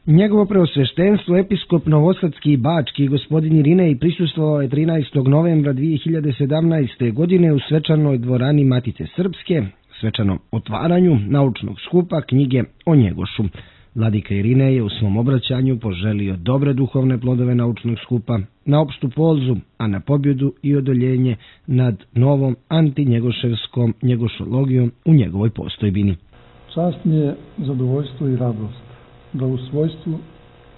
Njegovo preosveštenstvo, episkop Novosadski i Bački, gospodin Irinej, prisustvovao je 13. novembra 2017. godine u svečanoj dvorani Matice Srpske, svečanom otvaranju naučnog skupa knjige o Njegošu. Vladika Irinej je u svom obraćanju poželio dobre duhovne plodove naučnog skupa, na opštu polzu, a na pobjedu i odoljenje nad novom antinjegoševskom njegošologijom u njegovoj postojbini. Čast mi je, zadovoljstvo i radost da u svojstvu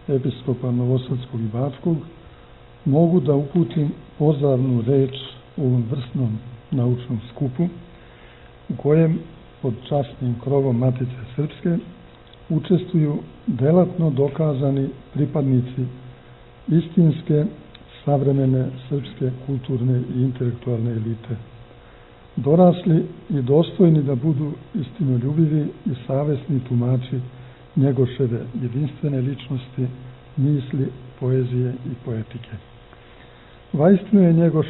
episkopa Novosadskog i Bačkog mogu da uputim pozdravnu reč u ovom vrsnom naučnom skupu u kojem pod časnim krovom Matice Srpske učestvuju delatno dokazani pripadnici istinske, savremene srpske kulturne i intelektualne elite, dorasli i dostojni da budu istinoljubivi i savesni tumači Njegoševe jedinstvene ličnosti, misli, poezije i poetike. Vaistinu je Njegoš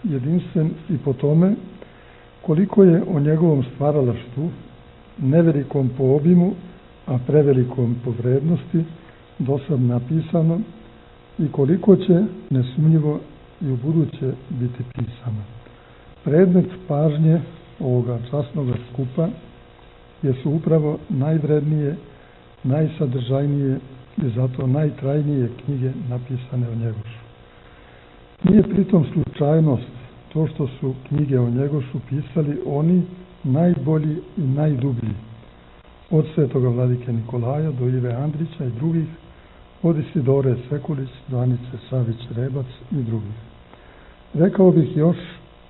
jedinstven i po tome koliko je o njegovom stvaralaštvu, nevelikom po obimu, a prevelikom po vrednosti, dosad napisano i koliko će nesumnjivo i u buduće biti pisano. Predmet pažnje ovoga časnog skupa jesu upravo najvrednije, najsadržajnije i zato najtrajnije knjige napisane o Njegošu. Nije pritom slučajnost to što su knjige o Njegošu pisali oni najbolji i najdublji, od svetoga vladike Nikolaja do Ive Andrića i drugih, od Isidore Sekulić do Anice Savić-Rebac i drugih. Rekao bih još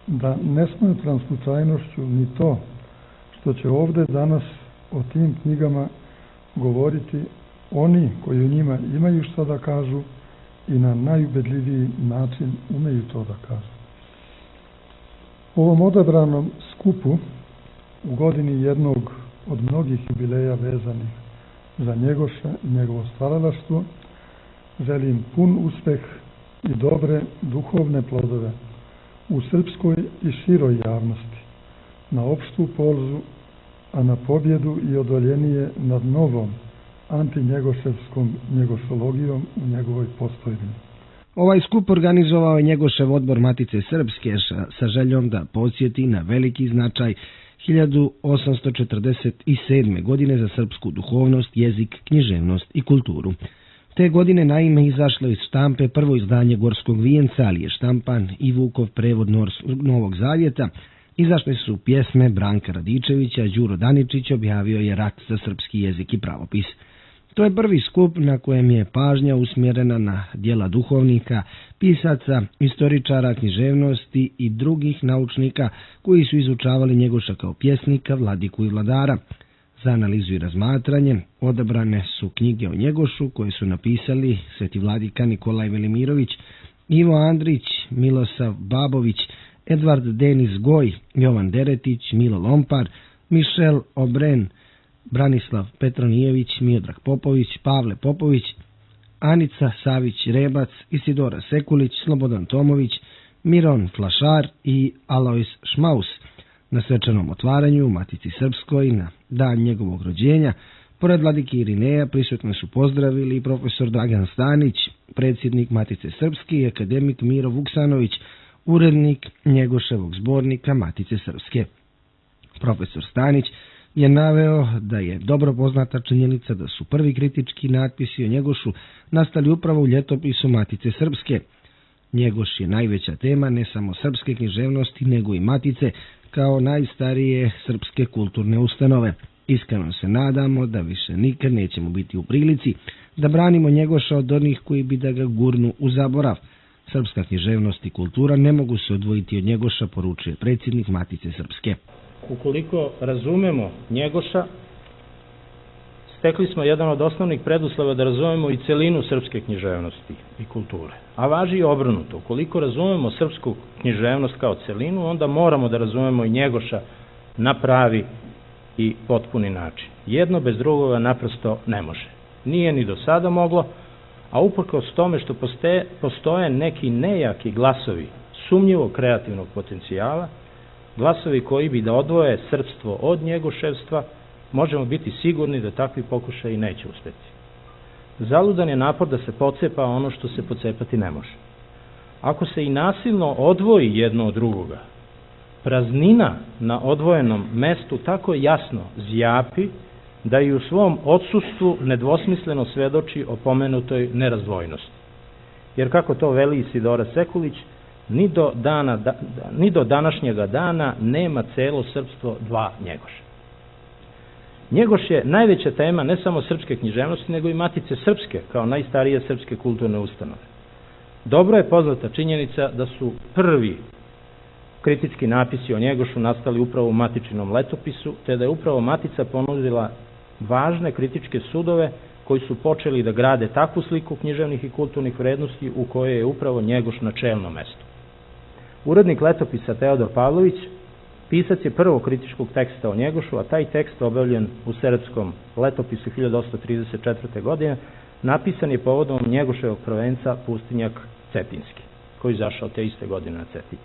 da ne smatram slučajnošću ni to što će ovde danas o tim knjigama govoriti oni koji u njima imaju što da kažu i na najubedljiviji način umeju to da kažu. U ovom odabranom skupu u godini jednog od mnogih jubileja vezanih za Njegoša i njegovo stvaralaštvo želim pun uspeh i dobre duhovne plodove u srpskoj i široj javnosti, na opštu polzu, a na pobjedu i odoljenije nad novom antinjegoševskom njegošologijom u njegovoj postojbini. Ovaj skup organizovao je Njegošev odbor Matice Srpske sa željom da podsjeti na veliki značaj 1847. godine za srpsku duhovnost, jezik, književnost i kulturu. Te godine naime izašlo iz štampe prvo izdanje Gorskog vijenca, ali je štampan i Vukov prevod Novog Zavjeta. Izašle su pjesme Branka Radičevića, Đuro Daničić objavio je Rat za srpski jezik i pravopis. To je prvi skup na kojem je pažnja usmjerena na djela duhovnika, pisaca, istoričara, književnosti i drugih naučnika koji su izučavali Njegoša kao pjesnika, vladiku i vladara. Za analizu i razmatranje odabrane su knjige o Njegošu koje su napisali sveti vladika Nikolaj Velimirović, Ivo Andrić, Milosav Babović, Edvard Denis Goj, Jovan Deretić, Milo Lompar, Mišel Obren, Branislav Petronijević, Miodrag Popović, Pavle Popović, Anica Savić-Rebac, Isidora Sekulić, Slobodan Tomović, Miron Flašar i Alojs Šmaus. Na svečanom otvaranju u Matici Srpskoj na dan njegovog rođenja, pored vladike Irineja, prisutno su pozdravili i profesor Dragan Stanić, predsjednik Matice Srpske i akademik Miro Vuksanović, urednik Njegoševog zbornika Matice Srpske. Profesor Stanić je naveo da je dobro poznata činjenica da su prvi kritički natpisi o Njegošu nastali upravo u ljetopisu Matice Srpske. Njegoš je najveća tema ne samo srpske književnosti, nego i Matice kao najstarije srpske kulturne ustanove. Iskreno se nadamo da više nikad nećemo biti u prilici da branimo Njegoša od onih koji bi da ga gurnu u zaborav. Srpska književnost i kultura ne mogu se odvojiti od Njegoša, poručuje predsjednik Matice Srpske. Ukoliko razumemo Njegoša, stekli smo jedan od osnovnih preduslova da razumemo i celinu srpske književnosti i kulture. A važi i obrnuto. Ukoliko razumemo srpsku književnost kao celinu, onda moramo da razumemo i Njegoša na pravi i potpuni način. Jedno bez drugoga naprosto ne može. Nije ni do sada moglo, a uprkos tome što postoje neki nejaki glasovi sumnjivo kreativnog potencijala, glasovi koji bi da odvoje srpstvo od njegoševstva, možemo biti sigurni da takvi pokušaji neće uspjeti. zaludan je napor da se pocepa ono što se pocepati ne može. Ako se i nasilno odvoji jedno od drugoga, praznina na odvojenom mestu tako jasno zjapi da i u svom odsustvu nedvosmisleno svedoči o pomenutoj nerazdvojnosti. Jer kako to veli Isidora Sekulić, ni do današnjega dana nema celo srpstvo dva Njegoša. Njegoš je najveća tema ne samo srpske književnosti, nego i Matice srpske, kao najstarije srpske kulturne ustanove. Dobro je poznata činjenica da su prvi kritički napisi o Njegošu nastali upravo u Matičinom letopisu, te da je upravo Matica ponudila važne kritičke sudove koji su počeli da grade takvu sliku književnih i kulturnih vrednosti u kojoj je upravo Njegoš na čelnom mestu. Urednik letopisa Teodor Pavlović pisac je prvog kritičkog teksta o Njegošu, a taj tekst objavljen u Serbskom letopisu 1834. godine napisan je povodom Njegoševog prvenca Pustinjak Cetinski, koji izašao te iste godine na Cetinju.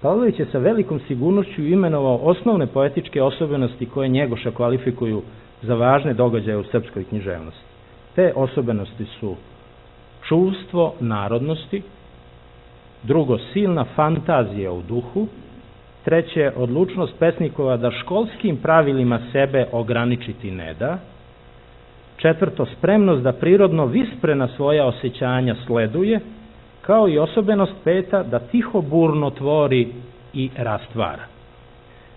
Pavlović je sa velikom sigurnošću imenovao osnovne poetičke osobenosti koje Njegoša kvalifikuju za važne događaje u srpskoj književnosti. Te osobenosti su čuvstvo narodnosti, drugo, silna fantazija u duhu, treće, odlučnost pesnikova da školskim pravilima sebe ograničiti ne da, četvrto, spremnost da prirodno visprena svoja osjećanja sleduje, kao i osobenost peta da tiho burno tvori i rastvara.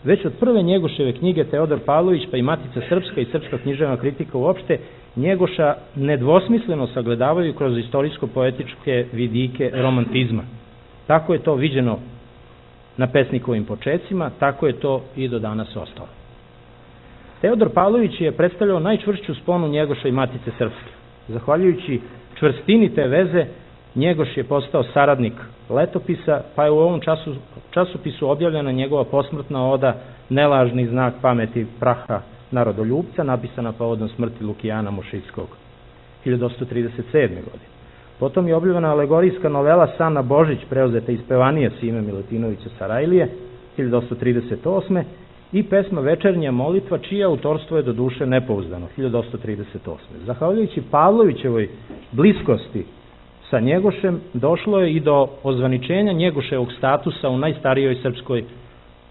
Već od prve Njegoševe knjige Teodor Pavlović, pa i Matica srpska i srpska književna kritika uopšte, Njegoša nedvosmisleno sagledavaju kroz istorijsko-poetičke vidike romantizma. Tako je to viđeno na pesnikovim počecima, tako je to i do danas ostalo. Teodor Pavlović je predstavljao najčvršću sponu Njegoša i Matice srpske. Zahvaljujući čvrstini te veze, Njegoš je postao saradnik letopisa, pa je u ovom časopisu objavljena njegova posmrtna oda Nelažni znak pameti praha narodoljubca, napisana povodom smrti Lukijana Mušitskog 1837. godine. Potom je objavljena alegorijska novela Sana Božić, preuzeta iz Pevanije Sime Milutinovića Sarajlije 1838. i pesma Večernja molitva, čije autorstvo je do duše nepouzdano 1838. Zahvaljujući Pavlovićevoj bliskosti sa Njegošem došlo je i do ozvaničenja Njegoševog statusa u najstarijoj srpskoj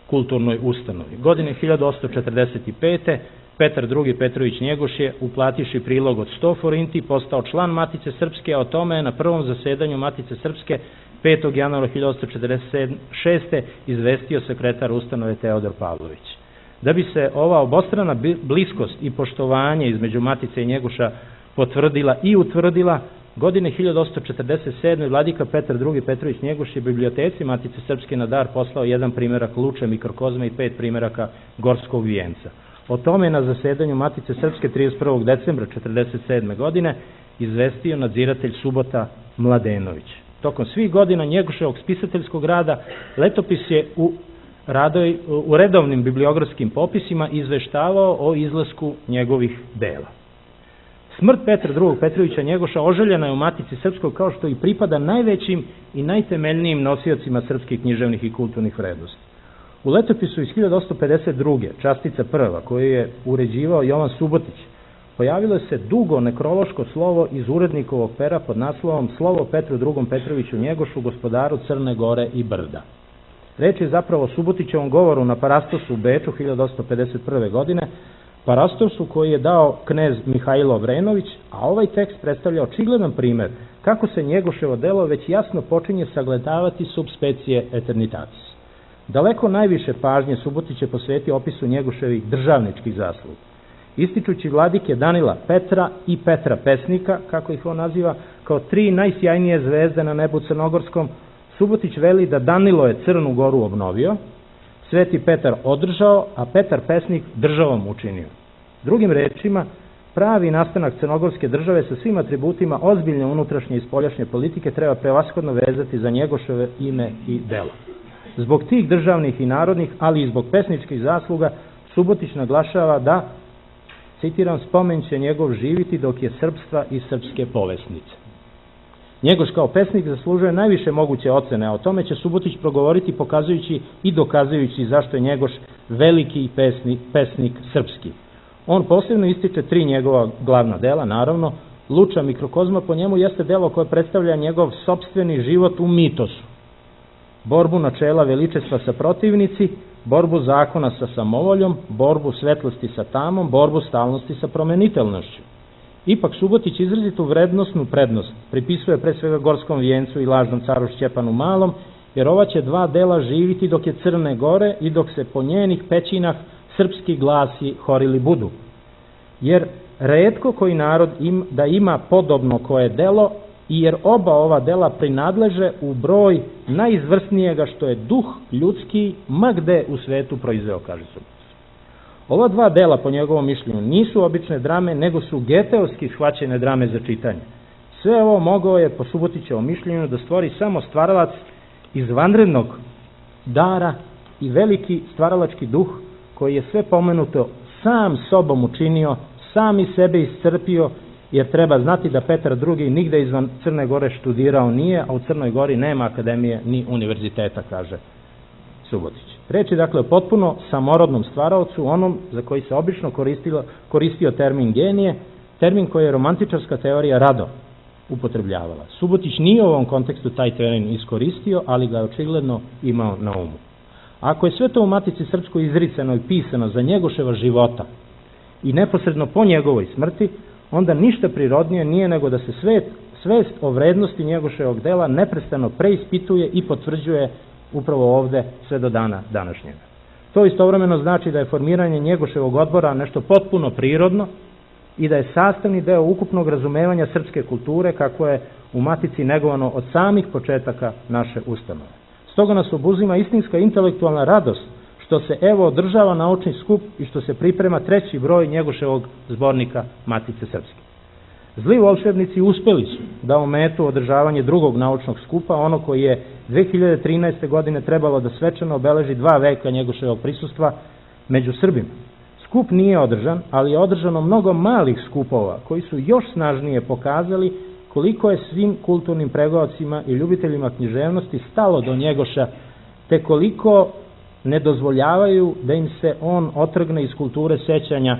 kulturnoj ustanovi. Godine 1845. Petar II. Petrović Njegoš je, uplatiši prilog od 100 forinti, postao član Matice srpske, a o tome je na prvom zasedanju Matice srpske 5. januara 1846. izvestio sekretar ustanove Teodor Pavlović. Da bi se ova obostrana bliskost i poštovanje između Matice i Njegoša potvrdila i utvrdila, godine 1847. vladika Petar II. Petrović Njegoš je biblioteci Matice srpske na dar poslao 1 primerak Luče mikrokozme i 5 primeraka Gorskog vijenca. O tome na zasedanju Matice srpske 31. decembra 1947. godine izvestio nadziratelj Subota Mladenović. Tokom svih godina Njegoševog spisateljskog rada letopis je u redovnim bibliografskim popisima izveštavao o izlasku njegovih dela. Smrt Petra II. Petrovića Njegoša oželjena je u Matici srpskoj, kao što i pripada najvećim i najtemeljnijim nosiocima srpskih književnih i kulturnih vrednosti. U letopisu iz 1852. častica prva, koju je uređivao Jovan Subotić, pojavilo se dugo nekrološko slovo iz urednikovog pera pod naslovom Slovo Petru II. Petroviću Njegošu, gospodaru Crne Gore i Brda. Reč je zapravo o Subotićevom govoru na Parastosu u Beču 1851. godine, Parastosu koji je dao knez Mihajlo Vrenović, a ovaj tekst predstavlja očigledan primer kako se Njegoševo delo već jasno počinje sagledavati sub specie eternitatis. Daleko najviše pažnje Subotić je posvetio opisu Njegoševih državničkih zasluga. Ističući vladike Danila Petra i Petra Pesnika, kako ih on naziva, kao 3 najsjajnije zvezde na nebu crnogorskom, Subotić veli da Danilo je Crnu Goru obnovio, Sveti Petar održao, a Petar Pesnik državom učinio. Drugim rečima, pravi nastanak crnogorske države sa svim atributima ozbiljne unutrašnje i spoljašnje politike treba prevashodno vezati za Njegoševe ime i delo. Zbog tih državnih i narodnih, ali i zbog pesničkih zasluga, Subotić naglašava da, citiram, spomen će njegov živiti dok je srpstva i srpske povesnice. Njegoš kao pesnik zaslužuje najviše moguće ocene, a o tome će Subotić progovoriti pokazujući i dokazujući zašto je Njegoš veliki pesnik srpski. On posebno ističe 3 njegova glavna dela, naravno, Luča mikrokozma po njemu jeste delo koje predstavlja njegov sopstveni život u mitosu. Borbu načela veličestva sa protivnici, borbu zakona sa samovoljom, borbu svetlosti sa tamom, borbu stalnosti sa promenitelnošću. Ipak Subotić izrazitu vrednosnu prednost pripisuje pre svega Gorskom vijencu i lažnom caru Šćepanu Malom, jer ova će dva dela živiti dok je Crne Gore i dok se po njenih pećinah srpski glasi horili budu. Jer retko koji narod da ima podobno koje delo, i jer oba ova dela prinadleže u broj najizvrsnijega što je duh ljudski ma gde u svetu proizveo, kaže Subotić. Ova dva dela, po njegovom mišljenju, nisu obične drame, nego su geteovski shvaćene drame za čitanje. Sve ovo mogao je, po Subotićevom mišljenju, da stvori samo stvaralac izvanrednog dara i veliki stvaralački duh koji je sve pomenuto sam sobom učinio, sam i sebe iscrpio, jer treba znati da Petar II. Nigde izvan Crne Gore študirao nije, a u Crnoj Gori nema akademije ni univerziteta, kaže Subotić. Reč je dakle o potpuno samorodnom stvaraocu, onom za koji se obično koristio termin genije, termin koji je romantičarska teorija rado upotrebljavala. Subotić nije u ovom kontekstu taj termin iskoristio, ali ga je očigledno imao na umu. Ako je sve to u Matici srpskoj izricano i pisano za Njegoševa života i neposredno po njegovoj smrti, onda ništa prirodnije nije nego da se svest o vrednosti Njegoševog dela neprestano preispituje i potvrđuje upravo ovde sve do dana današnjega. To istovremeno znači da je formiranje Njegoševog odbora nešto potpuno prirodno i da je sastavni deo ukupnog razumevanja srpske kulture kako je u Matici negovano od samih početaka naše ustanove. Stoga nas obuzima istinska intelektualna radost što se evo održava naučni skup i što se priprema 3. broj Njegoševog zbornika Matice srpske. Zli volšebnici uspeli su da ometu održavanje 2. naučnog skupa, ono koji je 2013. godine trebalo da svečano obeleži 2 veka Njegoševog prisustva među Srbima. Skup nije održan, ali je održano mnogo malih skupova koji su još snažnije pokazali koliko je svim kulturnim pregovorcima i ljubiteljima književnosti stalo do Njegoša, te koliko ne dozvoljavaju da im se on otrgne iz kulture sećanja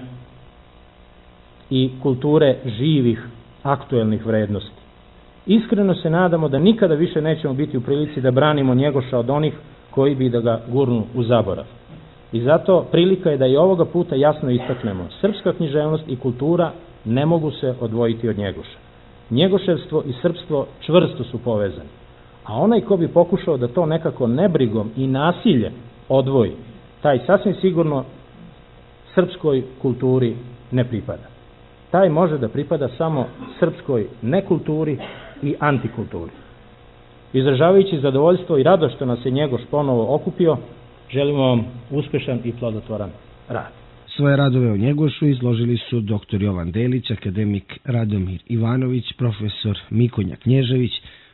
i kulture živih, aktuelnih vrednosti. Iskreno se nadamo da nikada više nećemo biti u prilici da branimo Njegoša od onih koji bi da ga gurnu u zaborav. I zato prilika je da i ovoga puta jasno istaknemo, srpska književnost i kultura ne mogu se odvojiti od Njegoša. Njegoševstvo i srpstvo čvrsto su povezani, a onaj ko bi pokušao da to nekako nebrigom i nasiljem odvoji, taj sasvim sigurno srpskoj kulturi ne pripada. Taj može da pripada samo srpskoj nekulturi i antikulturi. Izražavajući zadovoljstvo i radost što nas je Njegoš ponovo okupio, želimo vam uspešan i plodotvoran rad. Svoje radove o Njegošu izložili su dr. Jovan Delić, akademik Radomir Ivanović, profesor Mikonja Knježević,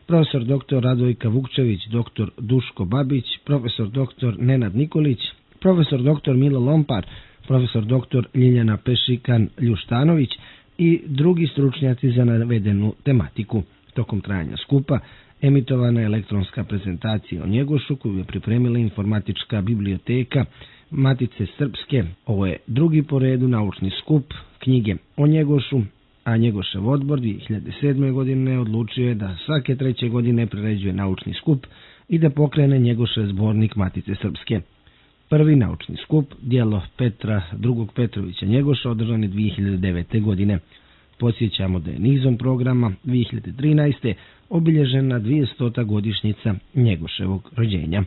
profesor dr. Radojka Vukčević, dr. Duško Babić, profesor dr. Nenad Nikolić, profesor dr. Milo Lompar, profesor dr. Ljiljana Pešikan-Ljuštanović i drugi stručnjaci za navedenu tematiku. Tokom trajanja skupa emitovana je elektronska prezentacija o Njegošu koju je pripremila informatička biblioteka Matice srpske. Ovo je drugi po redu naučni skup knjige o Njegošu, a Njegošev odbor 2007. godine odlučio je da svake 3. godine priređuje naučni skup i da pokrene Njegošev zbornik Matice srpske. Prvi naučni skup, djelo Petra II. Petrovića Njegoša, održan je 2009. godine. Podsjećamo da je nizom programa 2013. obilježena 200. godišnjica Njegoševog rođenja.